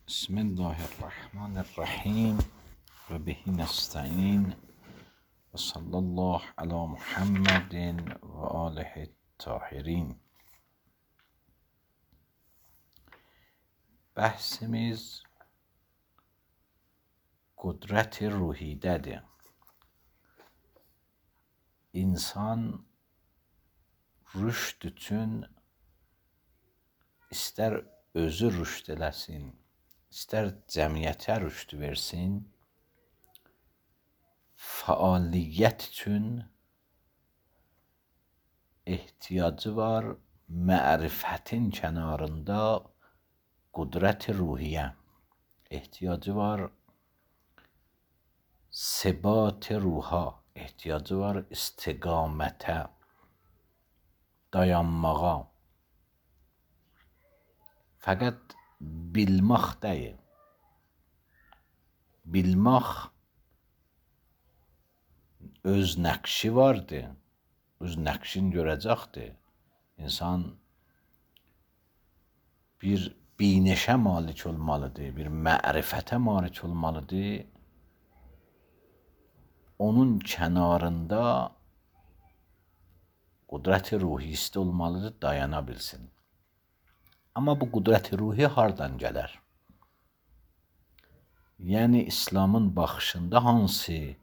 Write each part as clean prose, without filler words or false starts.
بسم الله الرحمن الرحیم و به نستعین و صلی الله علی محمد و آله الطاهرین. Bəhsimiz qudrət-i ruhidədir. İnsan rüşd üçün istər özü rüşd eləsin, istər cəmiyyətə rüşd versin, fəaliyyət üçün ehtiyacı var mərifətin kənarında qudrət-i ruhiyyə, ehtiyacı var sebat-i ruha, ehtiyacı var istiqamətə, dayanmağa. Fəqət bilmək deyil. Bilmək öz nəqşi vardır, öz nəqşini görəcəkdir. İnsan bir binəşə malik olmalıdır, bir mərifətə malik olmalıdır. Onun kənarında qudrət-i ruhisi olmalıdır, dayana bilsin. Amma bu qudrət-i ruhi hardan gələr? Yəni İslamın baxışında hansı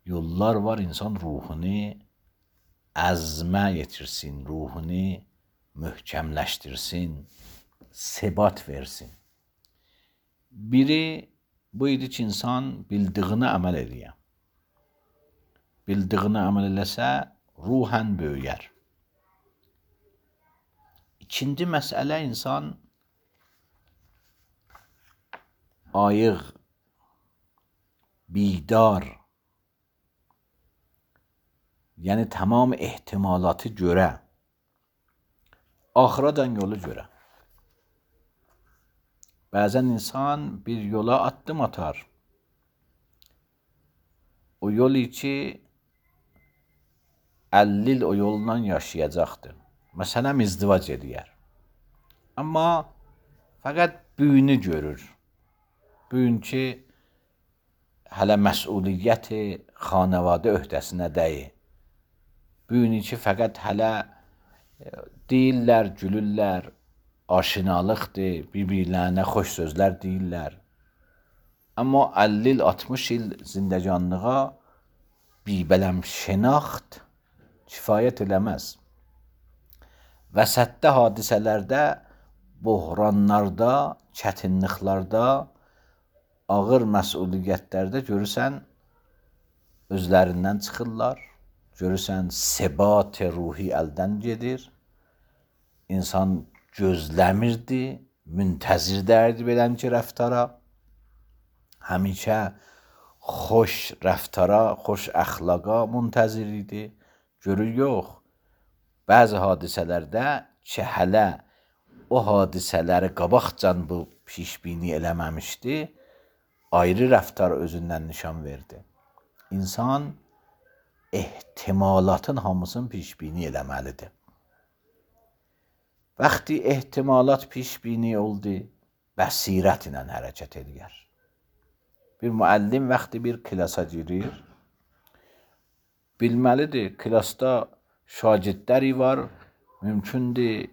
yollar var insan ruhunu əzmə yetirsin, ruhunu möhkəmləşdirsin, sebat versin. Biri bu idi ki, insan bildiyini əməl edir. Bildiyini əməl eləsə, ruhən böyüyər. İkinci məsələ, insan ayıq, bidar, yəni tamam ehtimalatı görə, axıracan yolu görə. Bəzən insan bir yola addım atar. O yol ki 50 il o yolla yaşayacaqdır. Məsələn, izdivac edər. Amma fəqət büyünü görür. Büyün ki, hələ məsuliyyəti xanəvadə öhdəsinə deyil. Büyünü ki, fəqət hələ deyirlər, gülürlər, aşinalıqdır, bir-birlərinə xoş sözlər deyirlər. Amma 50 il, 60 il zindəcanlığa bibələm şənaxt kifayət eləməz. Vəsətdə hadisələrdə, buhranlarda, çətinliklərdə, ağır məsuliyyətlərdə görürsən, özlərindən çıxırlar, görürsən sebat-i ruhi əldən gedir, insan gözləmirdi, müntəzirdərdi belənki rəftara, həmişə xoş rəftara, xoş əxlaqa müntəzir idi, görür yox. Bəzi hadisələrdə ki, hələ o hadisələri qabaqcan bu pişbini eləməmişdi, ayrı rəftar özündən nişan verdi. İnsan ehtimalatın hamısını pişbini eləməlidir. Vaxtı ehtimalat pişbini oldu, bəsirət ilə hərəkət edir. Bir müəllim vaxtı bir klasa girir, bilməlidir, klasda şagirdləri var, mümkündür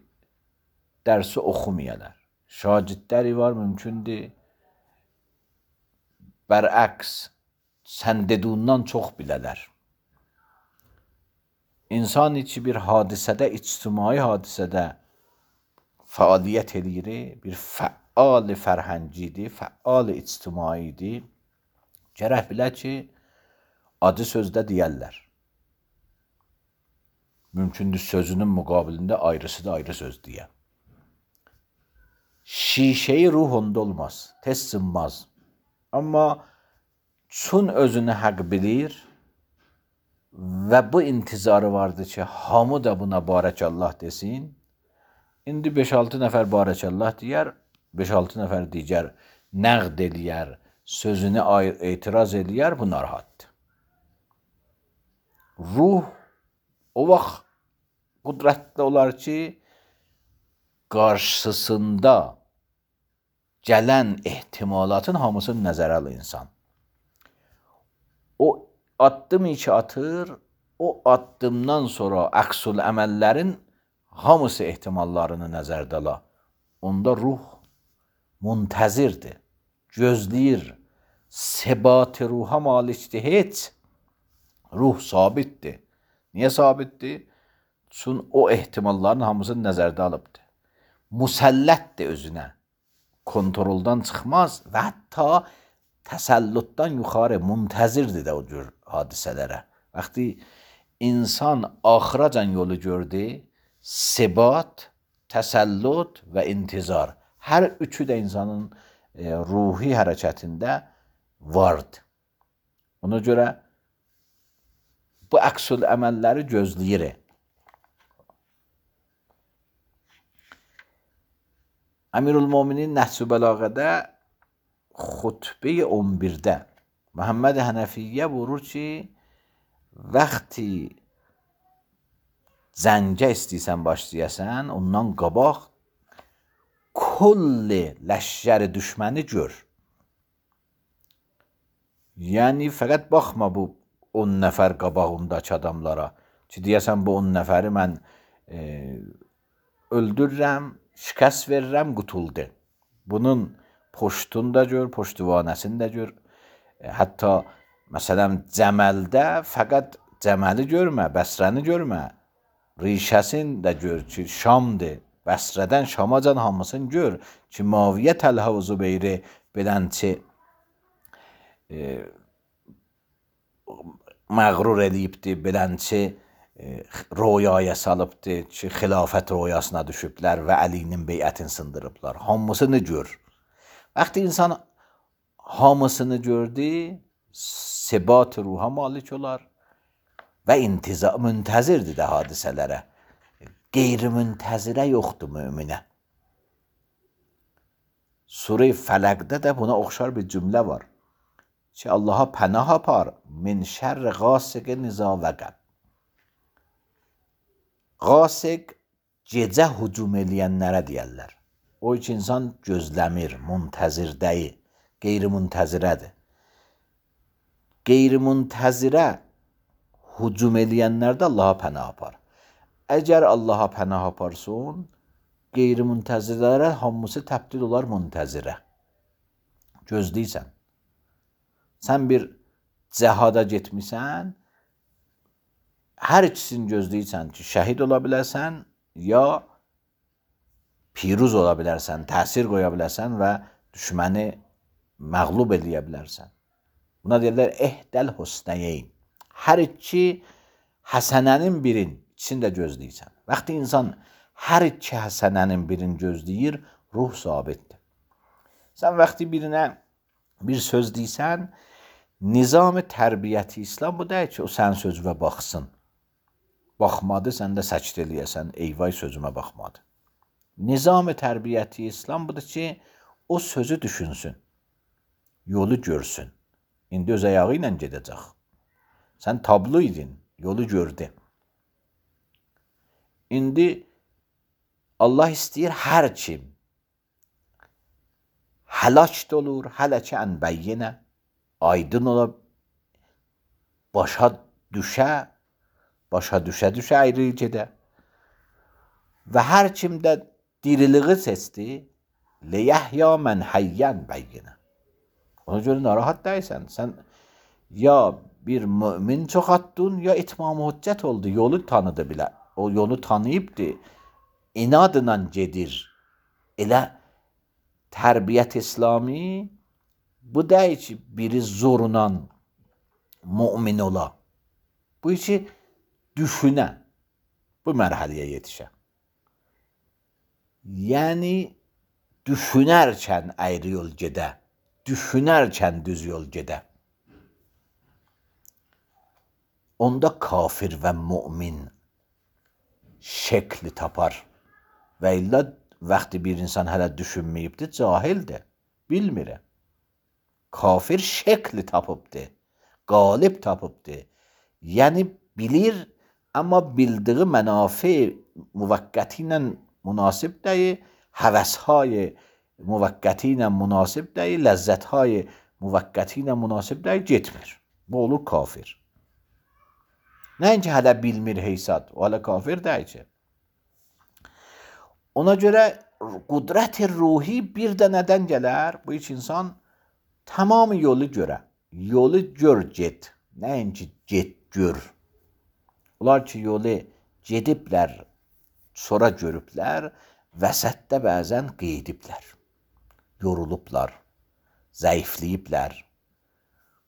dərsi oxumayalar. Şagirdləri var, mümkündür bərəks, sən dediğindən çox bilələr. İnsan ki, bir hadisədə, ictimai hadisədə fəaliyyət edir, bir fəal fərhəngidir, fəal ictimaidir, gərək bilə ki, adı sözdə deyərlər. Mümkündür sözünün müqabilində ayrısı da ayrı söz deyə. Şişeyi ruh onda olmaz, tez sınmaz. Amma çün özünü həq bilir və bu intizarı vardır ki, hamı da buna barəkallah desin. İndi 5-6 nəfər barəkallah deyər, 5-6 nəfər digər nəqd eləyər, sözünü etiraz eləyər, bu narahatdır. Ruh o vaxt qudrətli olar ki, qarşısında gələn ehtimalatın hamısını nəzərə alır insan. O addım ki atır, o addımdan sonra əksül əməllərin hamısı ehtimallarını nəzərdə ala. Onda ruh muntəzirdir, gözləyir. Sebat-ı ruha malikdir heç. Ruh sabitdir. Niyə sabitdir? Çünki o ehtimalların hamısını nəzərdə alıbdır. Musəllətdir özünə. Kontroldan çıxmaz və hətta təsəllütdən yuxarı muntəzirdir də o cür hadisələrə. Vaxtı insan axıracan yolu gördü, sebat, təsəllüt və intizar. Hər üçü də insanın ruhi hərəkətində vardır. Ona görə bu əksül əməlləri gözləyir. Əmirülmüminin Nəhcü Bəlağədə xutbə 11-də Məhəmməd Hənəfiyyə vurur ki, vaxtı zəncə istəyirsən başlayasan, ondan qabaq kulli ləşkəri düşməni gör. Yəni, fəqət baxma bu 10 nəfər qabağındakı adamlara ki, deyəsən bu 10 nəfəri mən öldürürəm, şikəst verirəm, qutuldu. Bunun poştunu da gör, poştuvanəsini də gör. Hətta, məsələn, Cəməldə fəqət Cəməli görmə, Bəsrəni görmə. Rişəsini də gör ki, Şamdır. Bəsrədən Şamacan hamısını gör ki, Maviyyə Təlhə və Zübeyri bilənçi məğrur eləyibdir, bilənçi royaya salıbdır ki, xilafət royasına düşüblər və Əlinin beyətini sındırıblar. Hamısını gör. Vaxtı insan hamısını gördü, sebat ruha malik olar və müntəzirdir də hadisələrə. Qeyri-müntəzirə yoxdur müminə. Surə-i Fələqdə də buna oxşar bir cümlə var ki, Allaha pənah apar min şərri qasiqin izə vəqəb. Qasiq gecə hücum eləyənlərə deyərlər. O ki, insan gözləmir, müntəzirdəyi, qeyri-müntəzirədir. Qeyri-müntəzirə hücum eləyənlərdə Allaha pənah apar. Əgər Allaha pənah aparsın, qeyri-müntəzirlərə hamısı təbdil olar müntəzirə. Gözləyirsən. Sən bir cəhada getmişsən, hər ikisini gözləyirsən ki, şəhid ola bilərsən, ya piruz ola bilərsən, təsir qoya bilərsən və düşməni məğlub eləyə bilərsən. Buna deyirlər, ehdəl husnəyeyn. Hər iki həsənənin birin ikisini də gözləyirsən. Vaxtı insan hər iki həsənənin birini gözləyir, ruh sabitdir. Sən vaxtı birinə bir söz deysən, nizam-ı tərbiyyəti İslam bu deyil ki, o sənin sözünə baxsın. Baxmadı, sən də səkit eləyəsən, eyvay sözümə baxmadı. Nizam-ı tərbiyyəti İslam budur ki, o sözü düşünsün, yolu görsün. İndi öz ayağı ilə gedəcək. Sən tablo idin, yolu gördü. İndi Allah istəyir hər kim həlak da olur, hələ ki ən bəyyinə, aydın ola, başa düşə ayrı gedə. Və hər kim də diriliği seçdi, liyəhya mən həyyən bəyyinə. Ona görə narahat deyilsən. Sən ya bir mümin çox attın, ya itmam-ı hüccət oldu, yolu tanıdı bilə. O yolu tanıyıbdı, inadla gedir. Elə tərbiyyət İslami bu deyil ki, biri zorla mümin ola. Bu ki, düşünə, bu mərhələyə yetişə. Yəni, düşünərkən ayrı yol gedə, düşünərkən düz yol gedə. Onda kafir və mümin şəkli tapar. Və illə vaxtı bir insan hələ düşünməyibdir, cahildir, bilmir. Kafir şəkli tapıbdır, qalib tapıbdır. Yəni bilir, amma bildiği mənafi müvəqqəti ilə münasib deyil, həvəshay müvəqqəti ilə münasib deyil, ləzzətهای müvəqqəti ilə münasib deyil, getmir. Bu olur kafir. Nəinki hələ bilmir heysat, o hələ kafir deyil ki. Ona görə qudrət-i ruhi bir də nədən gələr? Bu üç insan tamamı yolu görə. Yolu gör get. Nəinki get gör. Onlar ki yolu gediblər, sonra görüblər, vəsətdə bəzən qeydiblər. Yorulublar, zəifləyiblər.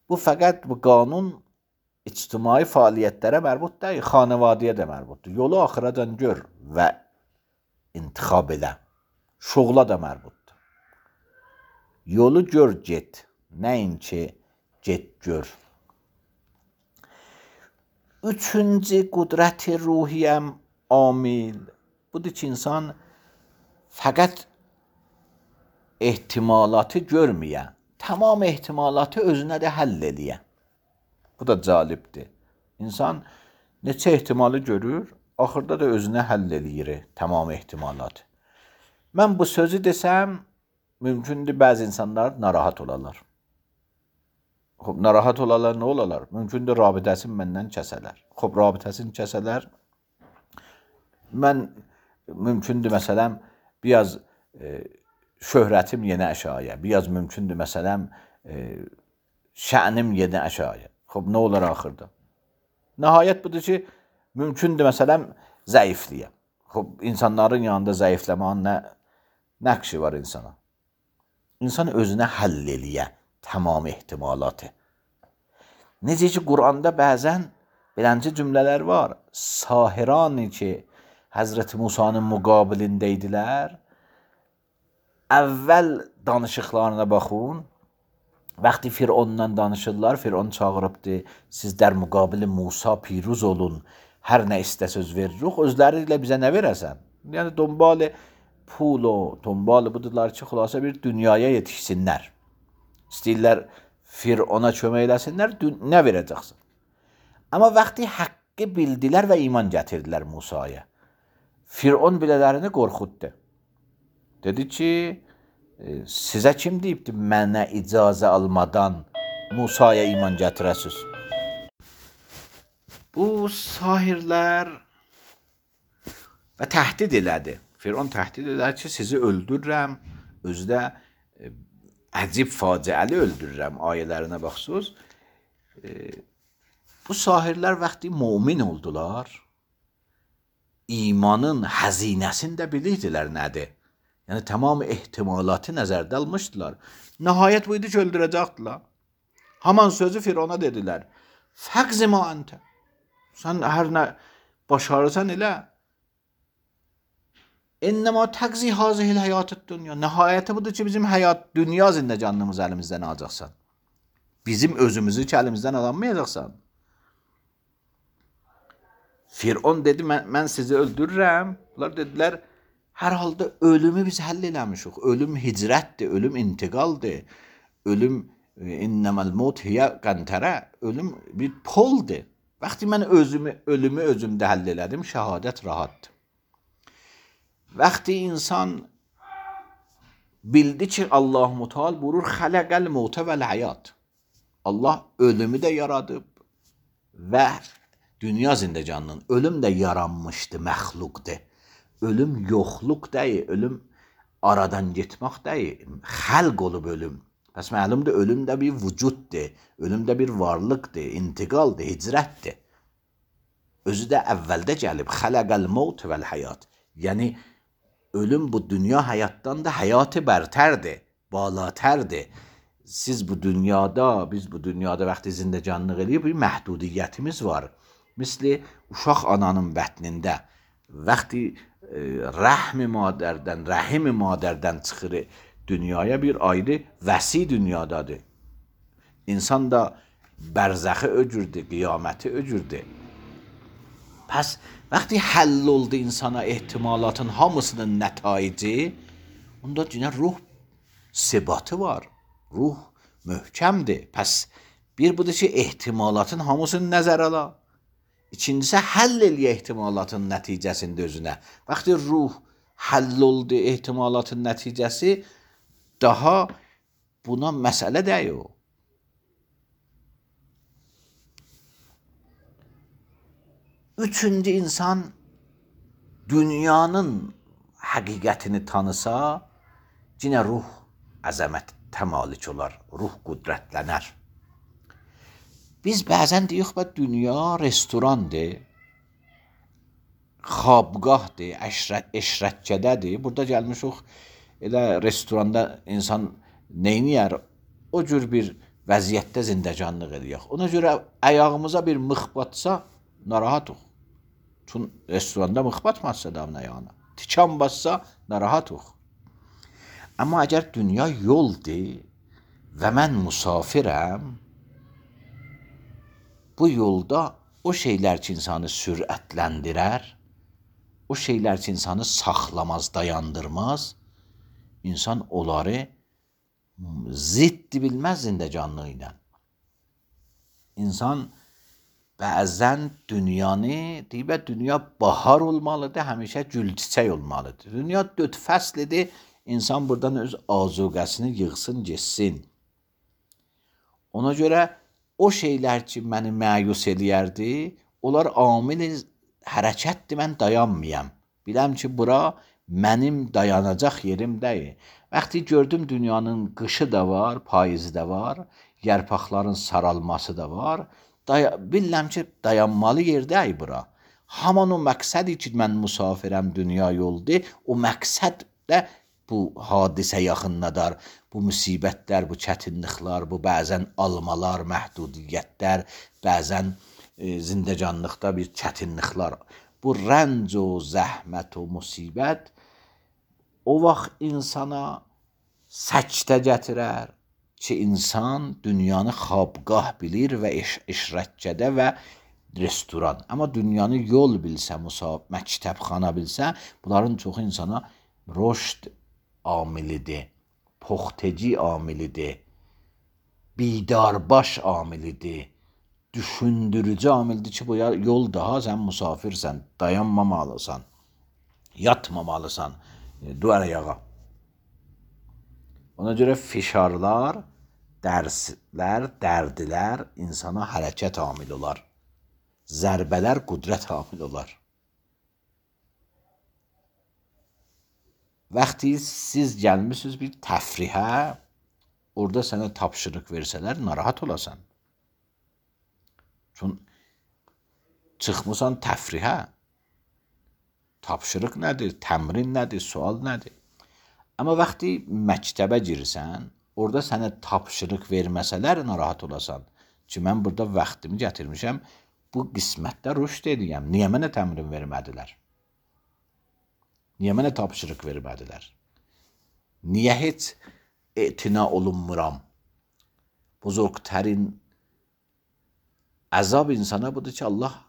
Bu fəqət bu qanun ictimai fəaliyyətlərə mərbut deyil, xanəvadiyə də mərbutdur. Yolu axıracan gör və intixab elə. Şoğla da mərbutdur. Yolu gör get, nəinki get gör. Üçüncü qudrət-i ruhiyyəm amil. Budur ki, insan fəqət ehtimalatı görməyə, tamam ehtimalatı özünə də həll eləyə. Bu da calibdir. İnsan neçə ehtimalı görür, axırda da özünə həll eləyir tamam ehtimalatı. Mən bu sözü desəm, mümkündür bəzi insanlar narahat olarlar. Narahat olarlar, nə olarlar? Mümkündür rabitəsini məndən kəsələr. Rabitəsini kəsələr. Mən mümkündür məsələn, biraz şöhrətim yenə əşaya, biraz mümkündür məsələn, şənim yenə əşaya. Nə olar axırda? Nəhayət budur ki, mümkündür məsələn, zəifliyə. İnsanların yanında zəifləmənin nə nəqşi var insana? İnsan özünə həll eləyə tamam ehtimalatı. Necə ki, Quranda bəzən belənci cümlələr var. Sahirani ki, Həzrəti Musanın müqabilində idilər. Əvvəl danışıqlarına baxın. Vaxtı Fironla danışırlar, Firon çağırıbdır. Sizlər müqabili Musa piruz olun. Hər nə istəsəz veririk. Özləri ilə bizə nə verəsən? Yəni, donbalı pul o, donbalı budurlar ki, xülasə bir dünyaya yetişsinlər. İstəyirlər Firona kömək eləsinlər, nə verəcəksin? Amma vaxtı haqqı bildilər və iman gətirdilər Musaya. Firon bilələrini qorxutdu. Dedi ki, sizə kim deyibdir mənə icazə almadan Musaya iman gətirəsiz? Bu sahirlər və təhdid elədi. Firon təhdid elədi ki, sizi öldürürəm, özü də əcib faciəli öldürürəm ayələrinə baxsız. Bu sahirlər vaxtı mümin oldular. İmanın həzinəsini də bilirdilər nədir. Yəni, tamam ehtimalatı nəzərdə almışdılar. Nəhayət bu idi ki, öldürəcəkdilər. Haman sözü Firona dedilər. Fəqzi ma əntə. Sən hər nə başarırsan elə. İnnəmə təqzi hazihil həyatı dünya. Nəhayəti budur ki, bizim həyat, dünya zindəcanlığımız əlimizdən alacaqsan. Bizim özümüzü ki, əlimizdən alamayacaqsan. Firon dedi, mən sizi öldürürəm. Bunlar dedilər, hər halda ölümü biz həll eləmişik. Ölüm hicrətdir, ölüm intiqaldır. Ölüm innəməl mut hiyə qəntərə. Ölüm bir poldur. Vaxtı mən ölümü özümdə həll elədim, şəhadət rahatdır. Vaxtı insan bildi ki, Allah-u Teala buyurur, xələqəl mutə vəl həyat. Allah ölümü də yaradıb və dünya zindəcanının ölüm də yaranmışdı, məxluqdur. Ölüm yoxluq deyil, ölüm aradan getmək deyil, xəlq olub ölüm. Bəs məlumdur, ölüm də bir vücuddur, ölüm də bir varlıqdır, intiqaldır, hicrətdir. Özü də əvvəldə gəlib, xələqəl mut vəl həyat. Yəni, ölüm bu dünya həyatdan da həyatı bərtərdir, balatərdir. Siz bu dünyada, biz bu dünyada vaxtı zindəcanlıq eləyib, bir məhdudiyyətimiz var. Misli uşaq ananın bətnində, vaxtı rəhmi madərdən çıxır dünyaya, bir ayrı vəsi dünyadadır. İnsan da bərzəxi öcürdür, qiyaməti öcürdür. Pəs, vaxtı həll oldu insana ehtimalatın hamısının nətaici, onda yine ruh sebatı var, ruh möhkəmdir. Pəs, bir budur ki, ehtimalatın hamısını nəzər ala. İkincisi, həll eləyə ehtimalatın nəticəsində özünə. Vaxtı ruh həll oldu ehtimalatın nəticəsi, daha buna məsələ deyil. Üçüncü insan dünyanın həqiqətini tanısa, yenə ruh əzəmətə malik olar, ruh qüdrətlənər. Biz bəzən deyirik ki, dünya restorandır, xabgahdır, eşrətçədədir. Burada gəlmişik, elə restoranda insan neyniyər? O cür bir vəziyyətdə zindəcanlıq edirik. Ona görə ayağımıza bir mıx batsa, narahatıq. Çünki restoranda mıx batmazsa adamın ayağına. Tikan bassa, narahatıq. Amma əgər dünya yoldur və mən musafirəm, bu yolda o şeylər ki, insanı sürətləndirər, o şeylər ki, insanı saxlamaz, dayandırmaz, insan onları ziddi bilməz zindəcanlığı ilə. İnsan bəzən dünyanı, deyib, dünya bahar olmalıdır, həmişə gül çiçək olmalıdır. Dünya 4 fəslidir, insan buradan öz azuqəsini yığsın, geçsin. Ona görə o şeylər ki, məni məyus eləyərdi, onlar amil hərəkətdir, mən dayanmayam. Biləm ki, bura mənim dayanacaq yerim deyil. Vaxtı gördüm dünyanın qışı da var, payızı da var, yarpaqların saralması da var. Biləm ki, dayanmalı yer deyil bura. Haman o məqsədi ki, mən musafirəm, dünya yoldur, o məqsəd də bu hadisə yaxınladar, bu müsibətlər, bu çətinliklər, bu bəzən almalar, məhdudiyyətlər, bəzən zindəcanlıqda bir çətinliklər, bu rənc o zəhmət o musibət o vaxt insana səkdə gətirər ki, insan dünyanı xabgah bilir və işrətçədə və restoran. Amma dünyanı yol bilsə, məktəbxana bilsə, bunların çoxu insana rüşd amilidir, poxteci amilidir, bidarbaş amilidir, düşündürücü amildir ki, bu yol daha sən musafirsən, dayanmamalısan, yatmamalısan, duvar ayağa. Ona görə fişarlar, dərslər, dərdilər insana hərəkət amil olar. Zərbələr qüdrət amil olar. Vaxtı siz gəlmişsiniz bir təfrihə, orada sənə tapşırıq versələr, narahat olasan. Çünki çıxmısan təfrihə, tapşırıq nədir, təmrin nədir, sual nədir? Amma vaxtı məktəbə girirsən, orada sənə tapşırıq verməsələr, narahat olasan. Ki, mən burada vaxtımı gətirmişəm, bu qismətdə rüşd edəyəm. Niyə mənə təmrin vermədilər? Niyə mənə tapşırıq vermədilər? Niyə heç etina olunmuram? Buzurqtərin əzab insana budur ki, Allah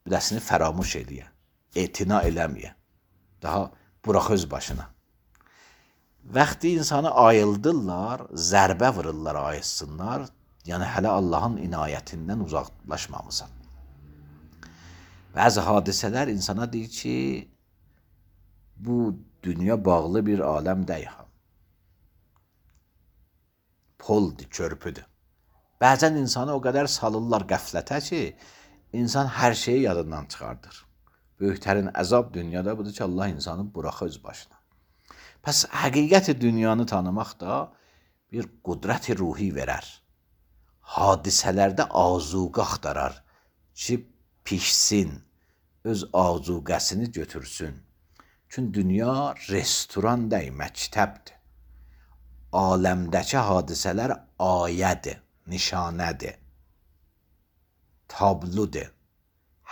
biləsini fəramuş eləyə, etina eləməyə, daha burax öz başına. Vaxtı insanı ayıldırlar, zərbə vururlar, ayıtsınlar, yəni hələ Allahın inayətindən uzaqlaşmamısan. Bəzi hadisələr insana deyir ki, bu dünya bağlı bir aləm deyil. Poldur, körpüdür. Bəzən insanı o qədər salırlar qəflətə ki, insan hər şeyi yadından çıxardır. Böyüklərin əzab dünyada budur ki, Allah insanı burax öz başına. Pəs həqiqəti dünyanı tanımaq da bir qüdrət-i ruhi verər. Hadisələrdə azuqə axtarar ki, pişsin, öz azuqəsini götürsün. Çünki dünya restoran deyil, məktəbdir. Aləmdəki hadisələr ayədir, nişanədir, tabludur.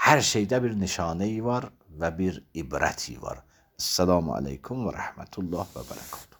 Hər şeydə bir nişanəyi var və bir ibrəti var. Esselamu aleykum və rəhmətullah və bərəkət.